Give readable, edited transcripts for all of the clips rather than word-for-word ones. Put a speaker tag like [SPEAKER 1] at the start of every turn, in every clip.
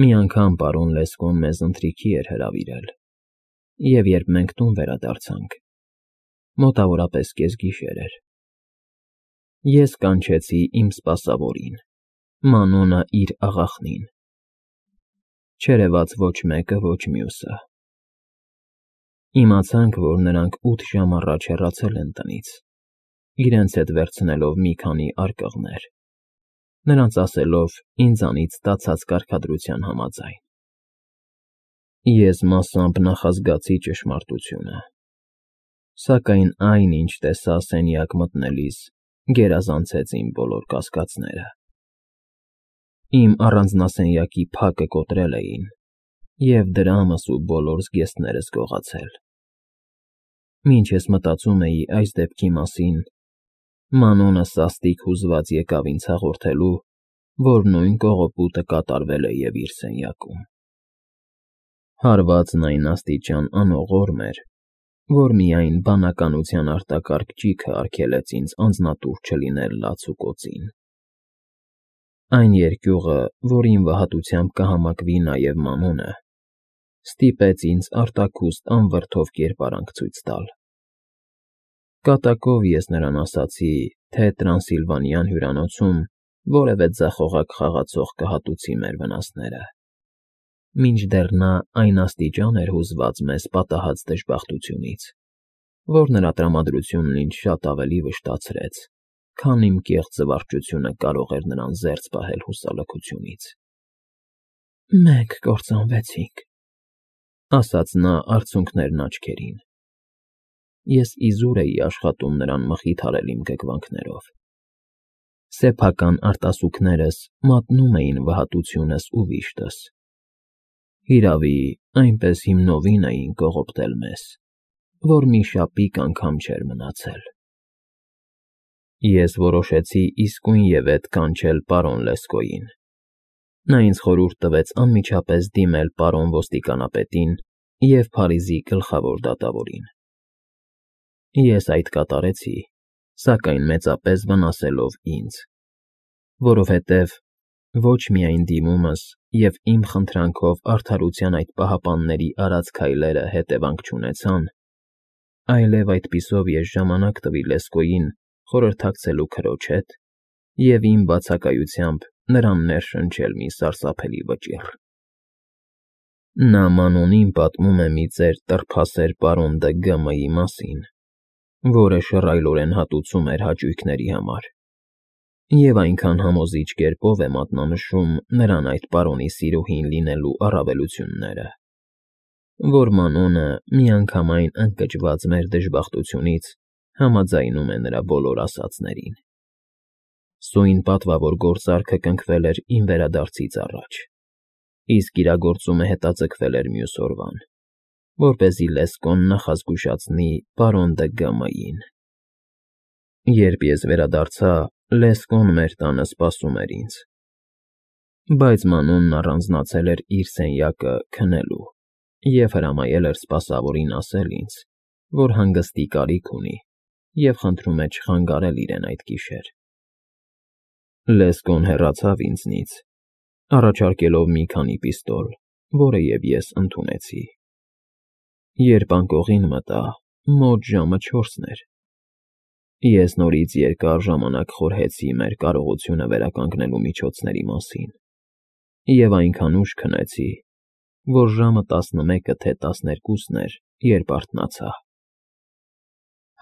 [SPEAKER 1] Մի անգամ պարոն Լեսկոն մեզ ընթրիքի էր հրավիրել, և երբ մենք տուն վերադարձանք, մոտավորապես կեսգիշեր էր, ես կանչեցի իմ սպասավորին, Մանոնը իր աղախնին, չերևաց ոչ մեկը, ոչ մյուսը. իմացանք, որ նրանք 8 ժամ առաջ հեռացել են տնից, իրենց հետ վերցնելով մի քանի արկղներ, նրանց ասելով ինձանից ստացած կարգադրության համաձայն։ Ես մասամբ նախազգացի ճշմարտությունը, սակայն այն, ինչ տեսա սենյակ մտնելիս, գերազանցեց իմ բոլոր կասկածները։ Իմ առանձնասենյակի փակը կոտրել էին, և դրամս ու բոլոր զգեստներս գողացել։ Մինչ ես մտածում էի այս դեպքի մասին, Մանոնը սաստիկ հուզված եկավ ինձ հաղորդելու, որ նույն կողոպուտը կատարվել է և իր սենյակում։ Հարվածն այն աստիճան անողորմ էր, որ միայն բանականության արտակարգ ճիգը արգելեց ինձ անձնատուր չլինել լաց ու կոծին։ Այն երկյուղը, որին վհատությամբ կհամակվի նաև Մանոնը, ստիպեց ինձ արտաքուստ անվրդով կերպարանք ցույց տալ։ Կատակով ես նրան ասացի, թե Տրանսիլվանյան հյուրանոցում որևէ ձախողակ խաղացող կհատուցի մեր վնասները, մինչդեռ նա այն աստիճան էր հուզված մեզ պատահած դժբախտությունից, որ նրա տրամադրությունն ինձ շատ ավելի վշտացրեց, քան իմ կեղծ զվարճությունը կարող էր նրան զերծ պահել հուսալքությունից։ «Մենք կործանվեցինք», ասաց նա արցունքներն աչքերին։ Ես իզուր էի աշխատում նրան մխիթարել իմ գգվանքներով։ Սեփական արտասուքներս մատնում էին վհատությունս ու վիշտս։ Հիրավի, այնպես հիմնովին էին կողոպտել մեզ, որ մի շապիկ անգամ չէր մնացել։ Ես որոշեցի իսկույնևեթ կանչել պարոն Լեսկոյին։ Նա ինձ խորհուրդ տվեց անմիջապես դիմել պարոն ոստիկանապետին և Փարիզի գլխավոր դատավորին։ Ես այդ կատարեցի, սակայն մեծապես վնասելով ինձ, որովհետև ոչ միայն դիմումս և իմ խնդրանքով արդարության այդ պահապանների արած քայլերը հետևանք չունեցան, այլև այդպիսով ես ժամանակ տվի Լեսկոյին խորհրդակցելու քրոջ հետ և իմ բացակայությամբ նրան ներշնչել մի սարսափելի վճիռ։ Նա Մանոնին պատմում է մի ծեր տրփասեր պարոն Դը Գ.Մ.-ի մասին, որը շռայլորեն հատուցում էր հաճույքների համար, և այնքան համոզիչ կերպով է մատնանշում նրան այդ պարոնի սիրուհին լինելու առավելությունները, որ Մանոնը միանգամայն ընկճված մեր դժբախտությունից համաձայնում է նրա բոլոր ասածներին։ Սույն պատվավոր գործարքը կնքվել էր իմ վերադարձից առաջ, իսկ իրագործումը հետաձգվել էր մյուս օրվան, որպեսզի Լեսկոն նախազգուշացնի պարոն Դը Գ.Մ.-ին։ Երբ ես վերադարձա, Լեսկոն մեր տանը սպասում էր ինձ, բայց Մանոնն առանձնացել էր իր սենյակը քնելու և հրամայել էր սպասավորին ասել ինձ, որ հանգստի կարիք ունի և խնդրում է չխանգարել իրեն այդ գիշեր։ Լեսկոն հեռացավ ինձնից, առաջարկելով մի քանի պիստոլ, որը և ես ընդունեցի։ Երբ անկողին մտա, մոտ ժամը 4-ն էր, ես նորից երկար ժամանակ խորհեցի մեր կարողությունը վերականգնելու միջոցների մասին և այնքան ուշ քնեցի, որ ժամը 11-ը թե 12-ն էր, երբ արթնացա։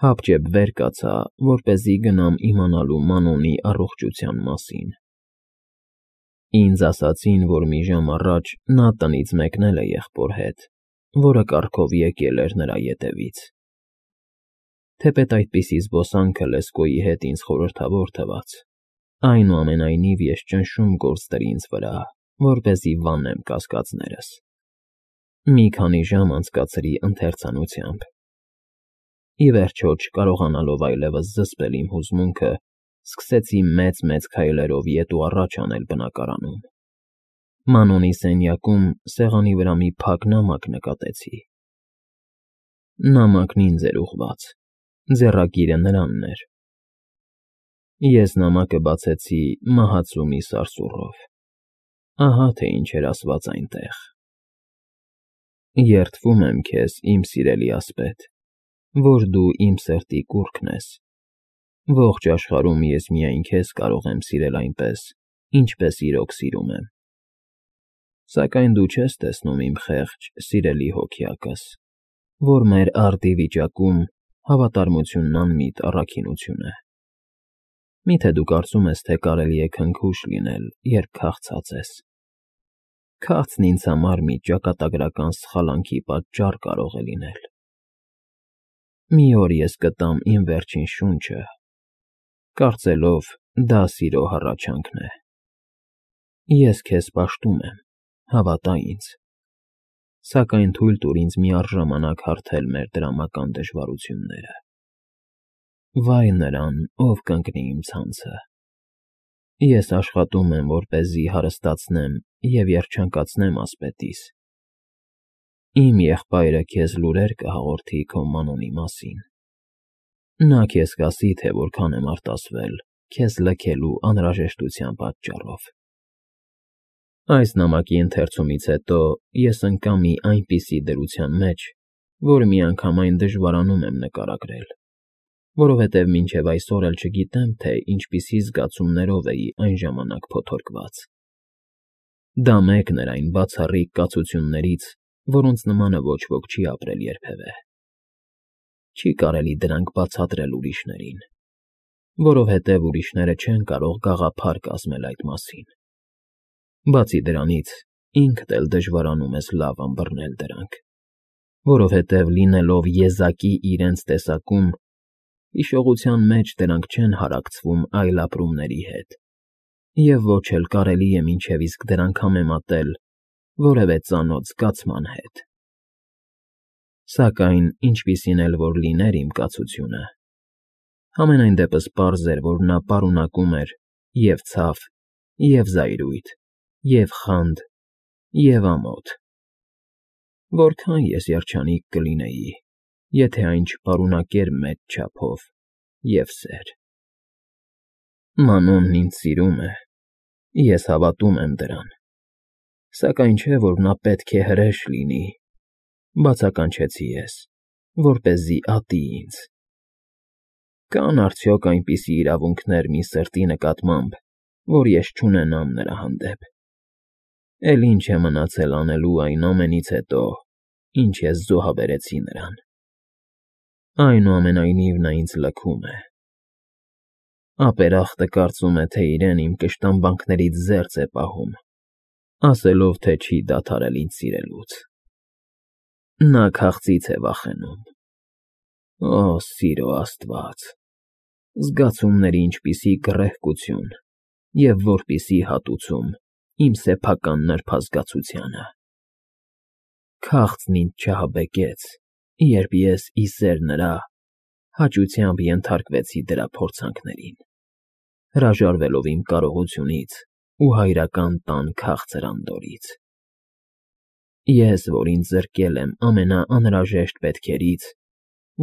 [SPEAKER 1] Հապճեպ վեր կացա, որպեսզի գնամ իմանալու Մանոնի առողջության մասին։ Ինձ ասացին, որ մի ժամ առաջ նա տնից մեկնել է եղբոր հետ, որը կառքով եկել էր նրա ետևից։ Թեպետ այդպիսի զբոսանքը Լեսկոյի հետ ինձ խորհրդավոր թվաց, այնուամենայնիվ ես ճնշում գործ դրի ինձ վրա, որպեսզի վանեմ կասկածներս։ Մի քանի ժամ անցկացրի ընթերցանությամբ։ Ի վերջո, չկարողանալով այլևս զսպել իմ հուզմունքը, սկսեցի մեծ քայլերով ետ ու առաջ անել բնակարանում։ Մանոնի սենյակում սեղանի վրա մի փակ նամակ նկատեցի։ Նամակն ինձ էր ուղղված, ձեռագիրը նրանն էր։ Ես նամակը բացեցի մահացու մի սարսուռով։ Ահա թե ինչ էր ասված այնտեղ. Երդվում եմ քեզ, իմ սիրելի ասպետ, որ դու իմ սրտի կուռքն ես։ Ողջ աշխարհում ես միայն քեզ կարող եմ սիրել այնպես, ինչպես իրոք սիրում եմ։ Սակայն դու չես տեսնում իմ խեղճ, սիրելի հոգյակս, որ մեր արդի վիճակում հավատարմությունն անմիտ առաքինություն է։ Միթե դու կարծում ես, թե կարելի է քնքուշ լինել, երբ քաղցած ես։ Քաղցն ինձ համար մի ճակատագրական սխալանքի պատճառ կարող է լինել։ Մի օր ես կտամ իմ վերջին շունչը, կարծելով դա սիրո հառաչանքն է։ Ես քեզ պաշտում եմ, հավատա ինձ, սակայն թույլ տուր ինձ միառժամանակ հարթել մեր դրամական դժվարությունները։ Վայ նրան, ով կընկնի իմ ցանցը։ Ես աշխատում եմ, որպեսզի հարստացնեմ և երջանկացնեմ ասպետիս։ Իմ եղբայրը քեզ լուրեր կհաղորդի քո մանոնի մասին։ Նա քեզ կասի, թե որքան եմ արտասվել քեզ լքելու անհրաժեշտության պատճառով։ Այս նամակի ընթերցումից հետո ես ընկա մի այնպիսի դրության մեջ, որ միանգամայն դժվարանում եմ նկարագրել, որովհետև մինչև այսօր էլ չգիտեմ, թե ինչպիսի զգացումներով էի այն ժամանակ փոթորկված։ Դա մեկն էր այն բացառիկ կացություններից, որոնց նմանը ոչ ոք չի ապրել երբևէ։ Չի կարելի դրանք բացատրել ուրիշներին, որովհետև ուրիշները չեն կարող գաղափար կազմել այդ մասին։ Բացի դրանից, ինքդ էլ դժվարանում ես լավ ըմբռնել դրանք, որովհետև լինելով եզակի իրենց տեսակում, հիշողության մեջ դրանք չեն հարակցվում այլ ապրումների հետ, և ոչ էլ կարելի է մինչև իսկ դրանք համեմատել որևէ ծանոթ զգացման հետ։ Սակայն, ինչպիսին էլ որ լիներ իմ կացությունը, համենայն դեպս պարզ էր, որ նա պարունակում էր և ցավ, և զայրույթ, և խանդ, և ամոթ։ Որքան ես երջանիկ կլինեի, եթե այն չպարունակեր մեծ չափով և սեր։ Մանոնն ինձ սիրում է, ես հավատում եմ դրան, սակայն չէ, որ նա պետք է հրեշ լինի, բացականչեցի ես, որպեսզի ատի ինձ։ Կան արդյոք այնպիսի իրավունքներ մի սրտի նկատմամբ, որ ես չունենամ նրա հանդեպ։ Էլ ինչ է մնացել անելու այն ամենից հետո, ինչ ես զոհաբերեցի նրան։ Այնուամենայնիվ նա ինձ լքում է։ Ապերախտը կարծում է, թե իրեն իմ կշտամբանքներից զերծ է պահում, ասելով, թե չի դադարել ինձ սիրելուց։ Նա քաղցից է վախենում։ Օ, սիրո Աստված, զգացումների ինչպիսի գռեհկություն և որպիսի հատուցում իմ սեփական նրբազգացությանը։ Քաղցն ինձ չահաբեկեց, երբ ես, ի սեր նրա, հաճությամբ ենթարկվեցի դրա փորձանքներին, հրաժարվելով իմ կարողությունից ու հայրական տան քաղցր անդորրից։ Ես, որ ինձ զրկել եմ ամենաանհրաժեշտ պետքերից,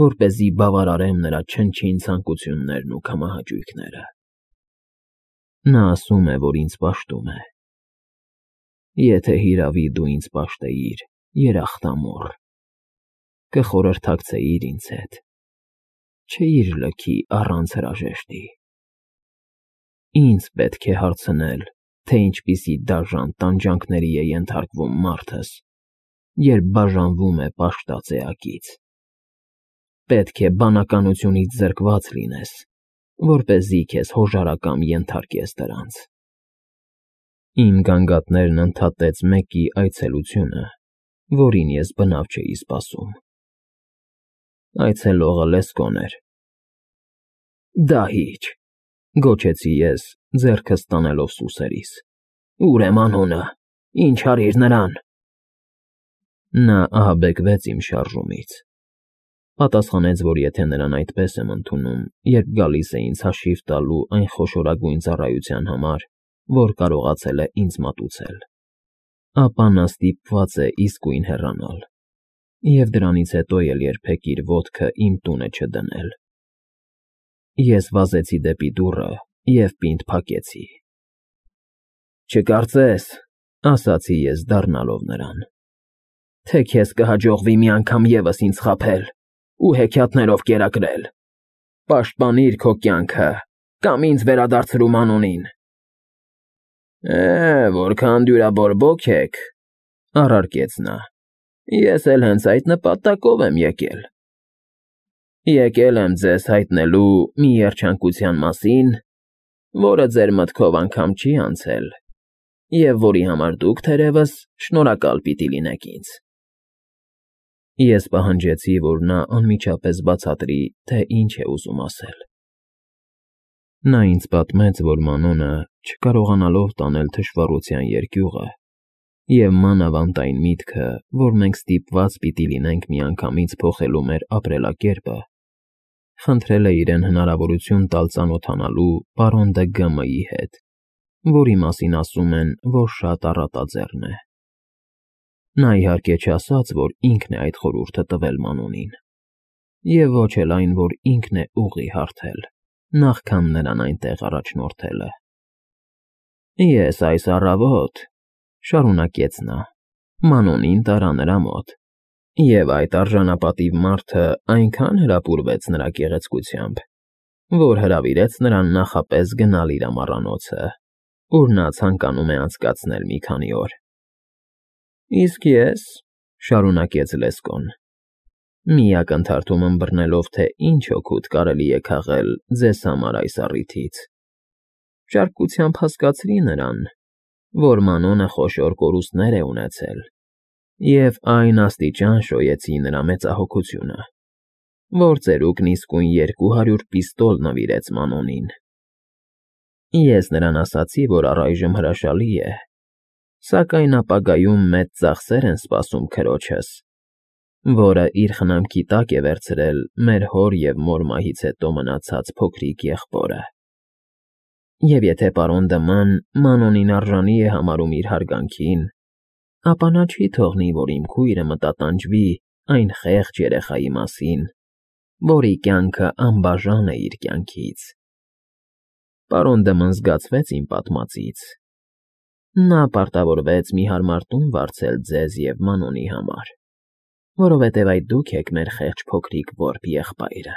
[SPEAKER 1] որպեսզի բավարարեմ նրա չնչին ցանկություններն ու քամահաճույքները։ Նա ասում է, որ ինձ պաշտում է։ Եթե հիրավի դու ինձ պաշտեիր, երախտամոռ, կխորհրդակցեիր ինձ հետ, չէիր լքի առանց հրաժեշտի։ Ինձ պետք է հարցնել, թե ինչպիսի դաժան տանջանքների է ենթարկվում մարդս, երբ բաժանվում է պաշտած էակից։ Պետք է բանականությունից զրկված լինես, որպեսզի քեզ հոժարակամ ենթարկես դրանց։ Իմ գանգատներն ընդհատեց մեկի այցելությունը, որին ես բնավ չէի սպասում։ Այցելողը Լեսկոն էր։ Դահիճ, գոչեցի ես, ձեռքս տանելով սուսերիս։ Ո՞ւր է մանոնը, ինչ արիր նրան։ Նա ահաբեկվեց իմ շարժումից։ Պատասխանեց, որ եթե նրան այդպես եմ ընդունում, երբ գալիս է ինձ հաշիվ տալու այն խոշորագույն ծառայության համար, որ կարողացել է ինձ մատուցել, ապա նա ստիպված է իսկույն հեռանալ, և դրանից հետո էլ երբեք իր ոտքը իմ տունը չդնել։ Ես վազեցի դեպի դուռը և պինդ փակեցի։ Չկարծես, ասացի ես դառնալով նրան, թե քեզ կհաջողվի մի անգամ ևս ինձ խաբել ու հեքիաթներով կերակրել, պաշտպանիր քո կյանքը կամ ինձ վերադարձրու Մանոնին։ Որքան դյուրաբորբոք եք, առարկեց նա, ես էլ հենց այդ նպատակով եմ եկել։ Եկել եմ ձեզ հայտնելու մի երջանկության մասին, որը ձեր մտքով անգամ չի անցել, և որի համար դուք, թերևս, շնորհակալ պիտի լինեք ինձ։ Ես պահանջեցի, որ նա անմիջապես բացատրի, թե ինչ է ուզում ասել։ Նա ինձ պատմեց, որ Մանոնը, չկարողանալով տանել թշվառության երկյուղը և մանավանդ այն միտքը, որ մենք ստիպված պիտի լինենք միանգամից փոխելու մեր ապրելակերպը, խնդրել է իրեն հնարավորություն տալ ծանոթանալու պարոն Դը Գ.Մ.-ի հետ, որի մասին ասում են, որ շատ առատաձեռն է։ Նա իհարկե չասաց, որ ինքն է այդ խորհուրդը տվել Մանոնին, և ոչ էլ այն, որ ինքն է ուղի հարթել, նախքան նրան այնտեղ առաջնորդելը։ Ես այս առավոտ, շարունակեց նա, Մանոնին տարա նրա մոտ, և այդ արժանապատիվ մարդը այնքան հրապուրվեց նրա գեղեցկությամբ, որ հրավիրեց նրան նախապես գնալ իր ամառանոցը, ուր նա ցանկանում է անցկացնել մի քանի օր։ Իսկ ես, շարունակեց Լեսկոն, մի ակնթարթում ըմբռնելով, թե ինչ օգուտ կարելի է քաղել ձեզ համար այս առիթից, ճարպկությամբ հասկացրի նրան, որ Մանոնը խոշոր կորուստներ է ունեցել, և այն աստիճան շոյեցի նրա մեծահոգությունը, որ ծերուկն իսկույն 200 պիստոլ նվիրեց Մանոնին։ Ես նրան ասացի, որ առայժմ հրաշալի է, սակայն ապագայում մեծ ծախսեր են սպասում քրոջս, որը իր խնամքի տակ է վերցրել մեր հոր և մոր մահից հետո մնացած փոքրիկ եղբորը։ Եվ եթե պարոն Դը.Մ.-ն Մանոնին արժանի է համարում իր հարգանքին, ապա նա չի թողնի, որ իմ քույրը մտատանջվի այն խեղճ երեխայի մասին, որի կյանքը անբաժան է իր կյանքից։ Պարոն Դը.Մ.-ն զգացվեց իմ պատմածից։ Նա պարտավորվեց մի հարմար տուն վարձել ձեզ և Մանոնի համար, որովհետև այդ դուք եք մեր խեղճ փոքրիկ որբ եղբայրը։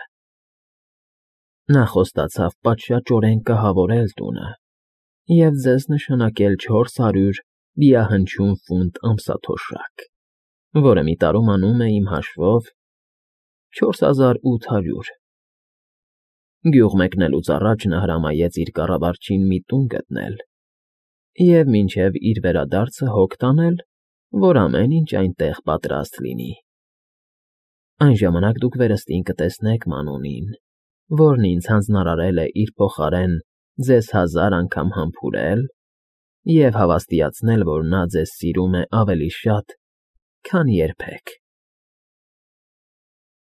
[SPEAKER 1] Նա խոստացավ պատշաճորեն կահավորել տունը և ձեզ նշանակել 400 դիահնչյուն ֆունտ ամսաթոշակ, որը մի տարում անում է իմ հաշվով 4800։ Գյուղ մեկնելուց առաջ նա հրամայեց իր կառավարչին մի տուն գտնել և մինչև իր վերադարձը հոգ տանել, որ ամեն ինչ այնտեղ պատրաստ լինի։ Այն ժամանակ դուք վերստին կտեսնեք Մանոնին, որն ինձ հանձնարարել է իր փոխարեն ձեզ 1000 անգամ համբուրել և հավաստիացնել, որ նա ձեզ սիրում է ավելի շատ, քան երբեք։